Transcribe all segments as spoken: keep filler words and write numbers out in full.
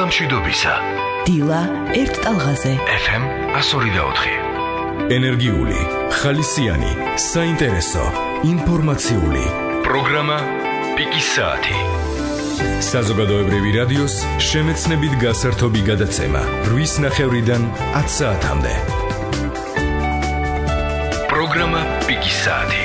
მშვიდობისა. დილა ერთ ტალღაზე. ეფ ემ one oh four point four. ენერგიული, ხალისიანი, საინტერესო, ინფორმაციული. პროგრამა პიკის საათი. საზოგადოებრივი რადიოს შემეცნებით გასართობი გადაცემა რვის ნახევრიდან ათ საათამდე. პროგრამა პიკის საათი.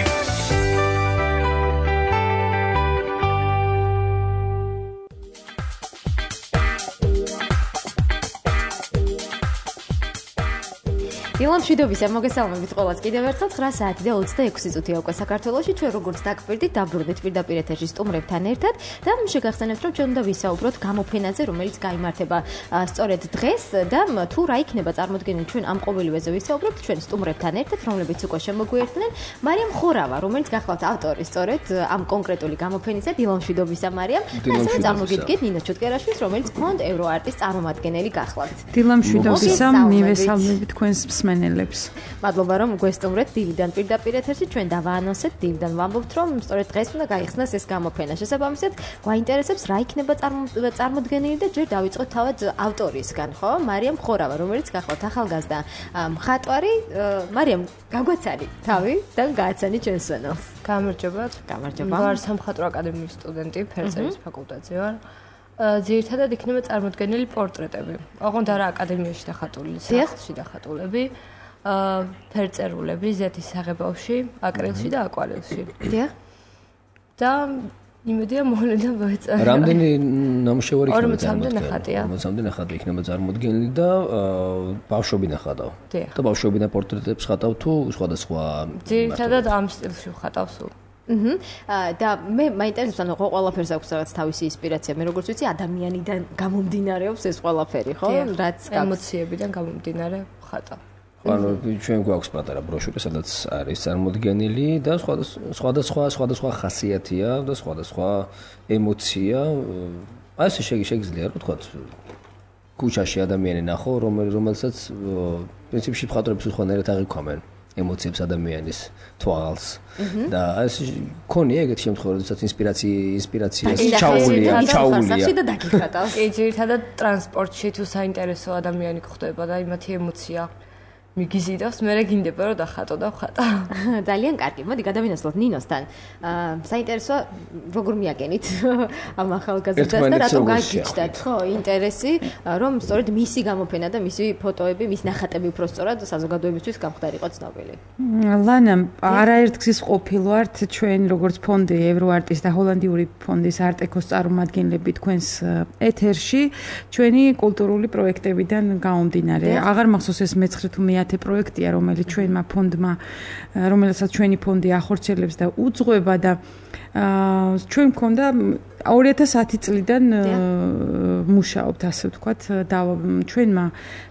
დილამ მშვიდობისა, მოგესალმებით ყველას კიდევ ერთხელ ცხრა საათი და ოცდაექვსი წუთია უკვე საქართველოში. ჩვენ როგორც დაგკვირდით, დაბრუნდით პირდაპირ ეთერში სტუმრებთან ერთად და შეგახსენებთ, რომ ჩვენ უნდა ვისაუბროთ გამოფენაზე, რომელიც გაიმართება სწორედ დღეს და თუ რა იქნება წარმოდგენილი ჩვენ ამ ყოველივეზე ვისაუბრებთ ჩვენ სტუმრებთან ერთად, რომლებიც უკვე შემოგვიერთდნენ. მარიამ ხორავა, რომელიც გახლავთ ავტორი სწორედ ამ კონკრეტული გამოფენისა. დილამ მშვიდობისა, მარიამ. და ასევე წარმოგიდგენთ ნინო ჩუტკერაშვილს, რომელიც ფონდ ევროარტის წარმომადგენელი გახლავთ. დილამ მშვიდობისა, მივესალმებით თქვენს მენელებს. მადლობა რომ გვესტუმრეთ დილიდან პირდაპირ ეთერში. ჩვენ დავაანონსებთ დილიდან ვამბობთ რომ სწორედ დღეს უნდა გაიხსნას ეს გამოფენა. შესაბამისად, გვაინტერესებს რა იქნება წარმოდგენილი და ჯერ დავიწყოთ თავად ავტორისგან, ხო? მარიამ ხორავა, რომელიც გახლავთ ახალგაზრდა მხატვარი. მარიამ, გაგვაცანი თავი და გააცანი ჩვენს სვენელს. გამარჯობათ. გამარჯობა. ვარ სამხატვრო აკადემიის სტუდენტი, ფერწერის ფაკულტეტზე ვარ. ძირითადად იქნება წარმოდგენილი პორტრეტები. ოღონდ არა აკადემიაში დახატული, სახლში დახატულები, ფერწერულები, ზეთის საღებავში, აკრილში და აკვარელში. დიახ. და იმედია მოვლენიდან მოეწონა. რამდენი ნამუშევარი იქნება? ორმოცამდე ნახატია. ორმოცამდე ნახატი იქნება წარმოდგენილი და ბავშვები ნახატავ. და ბავშვები და პორტრეტებს ხატავ თუ სხვადასხვა? ძირითადად ამ სტილში ვხატავ სულ. აჰა. და მე მაინტერესებს, ანუ ყველაფერს აქვს რაღაც თავისი ინსპირაცია. მე როგორც ვიცი, ადამიანიდან გამომდინარეობს ეს ყველაფერი, ხო? რაც ემოციებიდან გამომდინარე ხატა. ანუ ჩვენ გვაქვს პატარა ბროშური, სადაც არის წარმოდგენილი და სხვადასხვა სხვადასხვა ხასიათია და სხვადასხვა ემოცია. აი ესე შეგიძლია რა თქვა ქუჩაში ადამიანი ნახო, რომელსაც პრინციპში მხატვრებს უხანერად აღიქვამენ ემოციებს ადამიანის თვალს და ეს ქონია ეგეთი შემთხვევა, როდესაც ინსპირაცია ინსპირაცია ჩაულია, ჩაულია. და დაგიხატავს. კი, ძირითადად ტრანსპორტში თუ საინტერესო ადამიანი გხვდება და იმათი ემოცია მიგიზიდავს, მე რეგინდება რომ დახატო და ვხატა. ძალიან კარგი. მოდი გადავინაცვლოთ ნინოსთან. საინტერესო როგორ მიაგენით ამ ახალგაზრდას და რატომ გაგიჩნდათ, ხო, ინტერესი, რომ სწორედ მისი გამოფენა და მისი ფოტოები, მის ნახატები უფრო სწორად საზოგადოებისთვის გამხდარიყო ცნობილი. ლანა, არაერთგზის ყოფილვართ ჩვენ როგორც ფონდი ევროარტის და ჰოლანდიური ფონდის არტეკოს წარმომადგენლები თქვენს ეთერში, ჩვენი კულტურული პროექტებიდან გამომდინარე. აღარ მახსოვს ეს მეცხრე თუ მეათე პროექტია, რომელიც ჩვენმა ფონდმა, რომელსაც ჩვენი ფონდი ახორციელებს და უძღვება და ჩვენ მქონდა ორი ათას ათი წლიდან მუშაობთ, ასე ვთქვათ, და ჩვენმა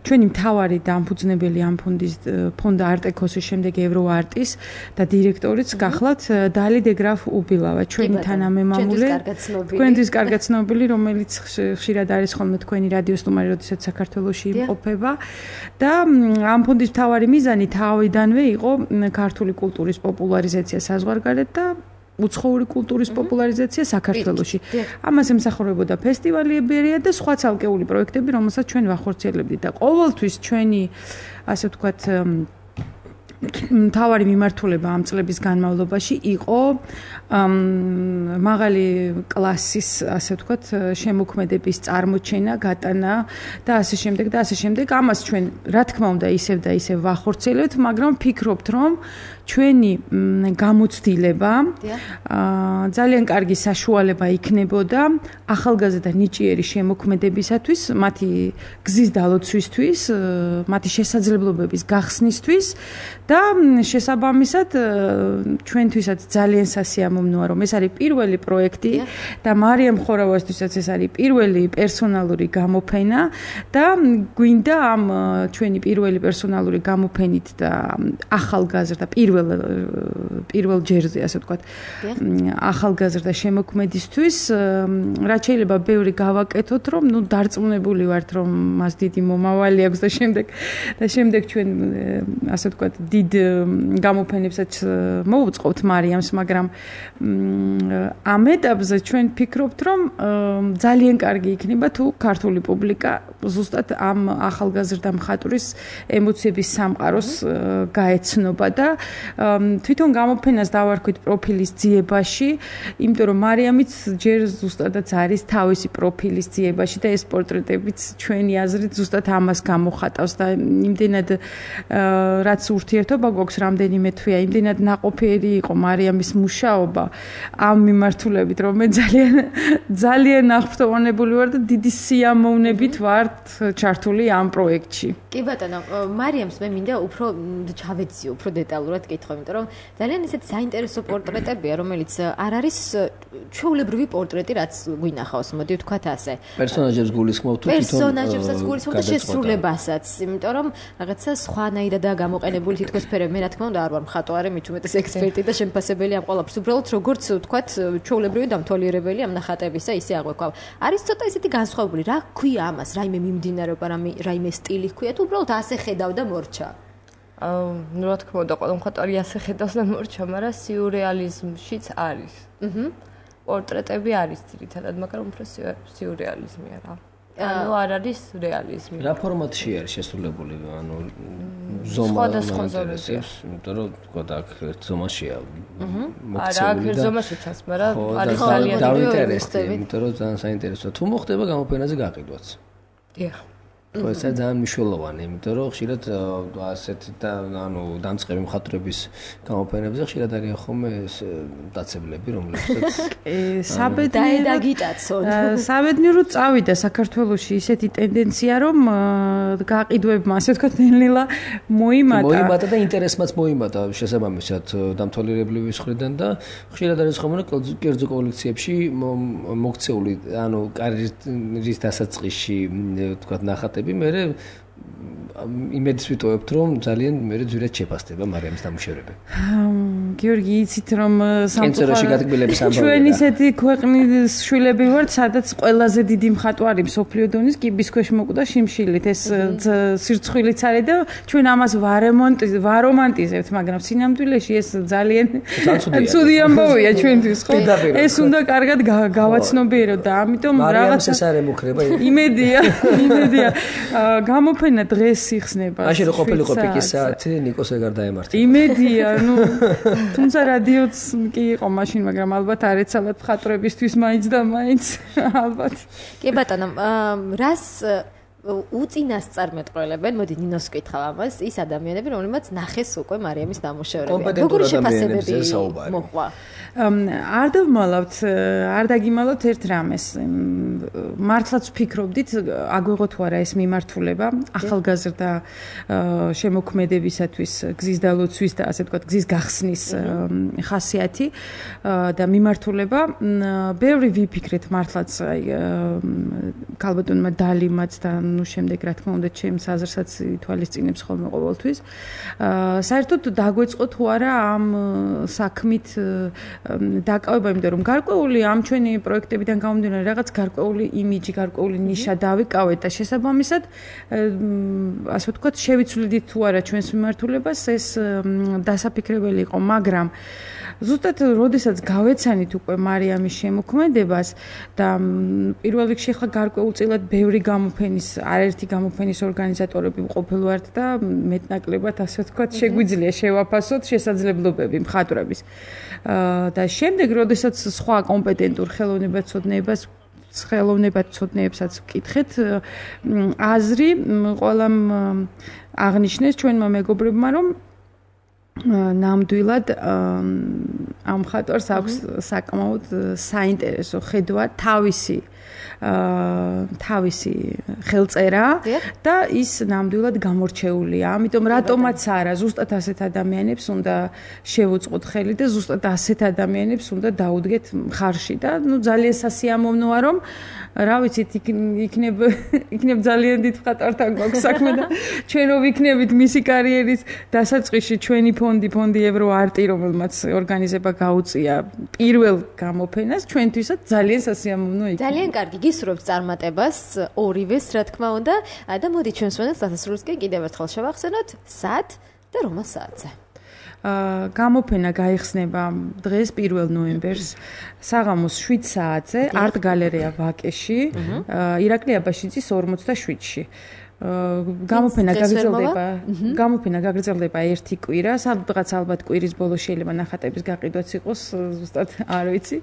ჩვენი მთავარი დამფუძნებელი ამ ფონდის ფონდა არტეკოსის შემდეგ ევროარტის და დირექტორიც გახლავთ დალი დეგრაფ უბილავა, ჩვენი თანამემამულე, თქვენთვის კარგად ცნობილი, რომელიც ხშირად არის ხოლმე თქვენი რადიო სტუმარი, როდესაც საქართველოში იმყოფება და ამ ფონდის მთავარი მიზანი თავიდანვე იყო ქართული კულტურის პოპულარიზაცია საზღვარგარეთ და უცხოური კულტურის პოპულარიზაცია საქართველოში. ამას ემსახურებოდა ფესტივალებია და სხვა ცალკეული პროექტები, რომელსაც ჩვენ ვახორციელებდით და ყოველთვის ჩვენი, ასე ვთქვათ, მთავარი მიმართულება ამ წლების განმავლობაში იყო მაღალი კლასის, ასე ვთქვათ, შემოქმედების წარმოჩენა, გატანა და ასე შემდეგ და ასე შემდეგ. ამას ჩვენ, რა თქმა უნდა, ისევ და ისევ ვახორციელებთ, მაგრამ ვფიქრობთ, რომ ჩვენი გამოცდილება ძალიან კარგი საშუალება იქნებოდა ახალგაზრდა ნიჭიერი შემოქმედებისათვის, მათი გზის დალოცვისთვის, მათი შესაძლებლობების გახსნისთვის და შესაბამისად ჩვენთვისაც ძალიან სასიამოვნოა, რომ ეს არის პირველი პროექტი და მარიამ ხორავასთვისაც ეს არის პირველი პერსონალური გამოფენა და გვინდა ამ ჩვენი პირველი პერსონალური გამოფენით და ახალგაზრდა პირველ პირველ ჯერზე, ასე ვთქვათ, ახალგაზრდა შემოქმედისთვის, რაც შეიძლება ბევრი გავაკეთოთ, რომ ნუ დარწმუნებული ვართ, რომ მას დიდი მომავალი აქვს და შემდეგ და შემდეგ ჩვენ, ასე ვთქვათ, დიდ გამოფენებსაც მოუწყობთ მარიამს, მაგრამ ამ ეტაპზე ჩვენ ფიქრობთ, რომ ძალიან კარგი იქნება თუ ქართული პუბლიკა ზუსტად ამ ახალგაზრდა მხატვრის ემოციების სამყაროს გაეცნობა და თვითონ გამოფენას დავარქვით პროფილის ძიებაში, იმიტომ რომ მარიამიც ჯერ ზუსტადაც არის თავისი პროფილის ძიებაში და ეს პორტრეტებიც ჩვენი აზრით ზუსტად ამას გამოხატავს და იმდენად რაც ურთიერთობა გვაქვს რამდენიმე თვეა, იმდენად ნაყოფიერი იყო მარიამის მუშაობა ამ მიმართულებით, რომ მე ძალიან ძალიან აღფრთოვანებული ვარ და დიდი სიამოვნებით ვარ ჩართული ამ პროექტში. კი ბატონო, მარიამს მე მინდა უფრო ჩავეციო, უფრო დეტალურად კითხო, იმიტომ რომ ძალიან ისეთი საინტერესო პორტრეტებია, რომელიც არ არის ჩვეულებრივი პორტრეტი, რაც გვინახავს, მოდი ვთქვათ ასე. პერსონაჟებს გულისხმობ თუ თვითონ პერსონაჟებსაც გულისხმობ და შესრულებასაც, იმიტომ რომ რაღაცა სხვანაირადაა გამოყენებული თითქოს ფერები. მე რა თქმა უნდა არ ვარ მხატვარი, მით უმეტეს ექსპერტი და შემფასებელი ამ ყველაფერს. უბრალოდ როგორც ვთქვათ, ჩვეულებრივი დამთვალიერებელი ამ ნახატებისა ისე აღვექვავ. არის ცოტა ისეთი განსხვავებული, რა ქვია ამას, რაიმე მიმდინარეობა, რაიმე სტილი ქვია, თუ უბრალოდ ასე ხედავ და მორჩა. აა, ну, რა თქმა უნდა, ყველა მხატვარი ასე ხედავს და მორჩა, მაგრამ სიურეალიზმშიც არის. აჰა. პორტრეტები არის ძირითადად, მაგრამ უფრო სიურეალიზმია რა. ანუ არ არის რეალიზმი. რა ფორმატში არის შესრულებული, ანუ ზომა ინტერესებს, იმიტომ რომ თქვა აქ ერთ ზომაშია. აჰა. არა, აქ ერთ ზომაში ჩანს, მაგრამ არის ძალიან დაინტერესებული, იმიტომ რომ ძალიან საინტერესოა. თუ მოხდება გამოფენაზე გაყიდვაც. დიახ. ხო, ეს ძალიან მნიშვნელოვანია, იმიტომ რომ ხშირად ასეთი და ანუ დამწყები მხატვრების გამოფენებზე ხშირად არიან ხოლმე დაცებლები, რომლებსაც საბედნიეროდ საბედნიეროდ წავიდა საქართველოში ისეთი ტენდენცია, რომ გაყიდვებმა, ასე ვთქვათ, ნელ-ნელა მოიმატა. მოიმატა და ინტერესმაც მოიმატა შესაბამისად დამთვალიერებლების მხრიდან და ხშირად არის ხოლმე კერძო კოლექციებში მოქცეული, ანუ კარიერის დასაწყისში, ვთქვათ, ნახატები მე იმედს ვიტოვებთ, რომ ძალიან მე ძვირად შეფასდება მარიამის დამუშავება. გიორგი, იცით რომ კენწეროში გატკბილების ამბავია. ჩვენ ისეთი ქვეყნის შვილები ვართ, სადაც ყველაზე დიდი მხატვარი მსოფლიო დონის კიბის ქვეშ მოკვდა შიმშილით. ეს სირცხვილიც არის და ჩვენ ამას ვარომანტიზებთ, მაგრამ სინამდვილეში ეს ძალიან ცუდი ამბავია ჩვენთვის, ხო? ეს უნდა კარგად გავაცნობიეროთ და ამიტომ რაღაც ეს არ ემუქრება. იმედია, იმედია. გამოფენა დღეს იხსნება. მაშინ რო ყოფილიყო პიკის საათი, ნიკოს ეგარ დაემართა. იმედია, ну, თუმცა რადიოც კი იყო მაშინ, მაგრამ ალბათ არ ეცალათ მხატვრებისთვის მაინც და მაინც ალბათ. კი ბატონო, რას უწინასწარმეტყველებენ, მოდი ნინოს ვკითხავ ამას, ის ადამიანები, რომლებიც ნახეს უკვე მარიამის დამუშავება. როგორი შეფასებები მოყვა? არ დავმალავთ, არ დაგიმალავთ ერთ რამეს. მართლაც ვფიქრობდით, აგვეღო თუ არა ეს მიმართულება ახალგაზრდა შემოქმედებისათვის, გზის დალოცვის და ასე ვთქვათ, გზის გახსნის ხასიათი და მიმართულება. ბევრი ვიფიქრეთ მართლაც აი ქალბატონმა დალიმაც და ნუ შემდეგ რა თქმა უნდა ჩემს აზრსაც ითვალისწინებს ხოლმე ყოველთვის. საერთოდ დაგვეწყო თუ არა ამ საქმით დაკავება, იმიტომ რომ გარკვეული ამ ჩვენი პროექტებიდან გამომდინარე რაღაც გარკვეული იმიჯი, გარკვეული ნიშა დავიკავეთ და შესაბამისად ასე ვთქვათ შევიცვლიდით თუ არა ჩვენს მიმართულებას, ეს დასაფიქრებელი იყო, მაგრამ ზუსტად როდესაც გავეცანით უკვე მარიამის შემოქმედებას და პირველ რიგში ხა გარკვეულწილად ბევრი გამოფენის, არაერთი გამოფენის ორგანიზატორები ყოფილ ვართ და მეტნაკლებად ასე ვთქვათ შეგვიძლია შევაფასოთ შესაძლებლობები მხატვრების. და შემდეგ როდესაც სხვა კომპეტენტურ ხელოვნებაცოდნეებას ხელოვნებაცოდნეებსაც ვკითხეთ, აზრი ყველამ აღნიშნეს ჩვენმა მეგობრებმა, რომ ნამდვილად ამ მხატვარს აქვს საკმაოდ საინტერესო ხედვა თავისი თავისი ხელწერა და ის ნამდვილად გამორჩეულია. ამიტომ რატომაც არა, ზუსტად ასეთ ადამიანებს უნდა შევუწყოთ ხელი და ზუსტად ასეთ ადამიანებს უნდა დაუდგეთ მხარში და ნუ ძალიან სასიამოვნოა, რომ რა ვიცით, იქნებ იქნებ ძალიან დიდ მხატვართან გვაქვს საქმე და ჩვენ რო ვიქნებით მისი კარიერის დასაწყისში ჩვენი ფონდი, ფონდი ევრო არტი, რომელმაც ორგანიზება გაუწია პირველ გამოფენას, ჩვენთვისაც ძალიან სასიამოვნო იქნება. ძალიან კარგი, გისურვებთ წარმატებას ორივეს, რა თქმა უნდა. და მოდი ჩვენს მონას დასასრულს კი კიდევ ერთხელ შევახსენოთ, სად და რომელ საათზე? აა გამოფენა გაიხსნება დღეს პირველ ნოემბერს საღამოს შვიდ საათზე არტ გალერეა ვაკეში, ირაკლი აბაშიძის ორმოცდაშვიდში. გამოფენა გაგრძელდება გამოფენა გაგრძელდება ერთი კვირა, სადღაც ალბათ კვირის ბოლოს შეიძლება ნახატების გაყიდვაც იყოს, ზუსტად არ ვიცი.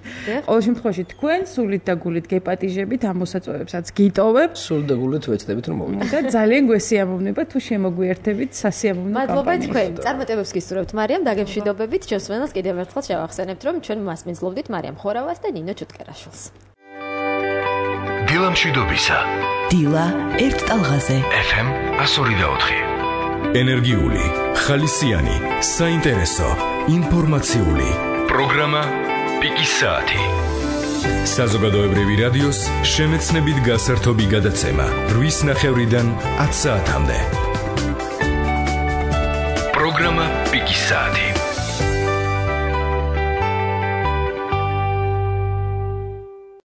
ყოველ შემთხვევაში თქვენ სულით და გულით გეპატიჟებით ამ მოსაწვევებსაც გიტოვებთ. სულით და გულით ვეცდებით რომ მოვიდეთ. და ძალიან გვესიამოვნება თუ შემოგვიერთებით სასიამოვნო კამპანიაში. მადლობა თქვენ. წარმატებებს გისურვებთ მარიამ, დაგემშვიდობებით. ჩვენს მენელს კიდევ ერთხელ შევახსენებთ, რომ ჩვენ მასპინძლობდით მარიამ ხორავას და ნინო ჩუტკერაშვილს. დილა მშვიდობისა. დილა ერთ ტალღაზე. ეფ ემ one oh four. ენერგიული, ხალისიანი, საინტერესო, ინფორმაციული. პროგრამა პიკის საათი. საზოგადოებრივი რადიოს შემეცნებით გასართობი გადაცემა რვის ნახევრიდან ათ საათამდე. პროგრამა პიკის საათი.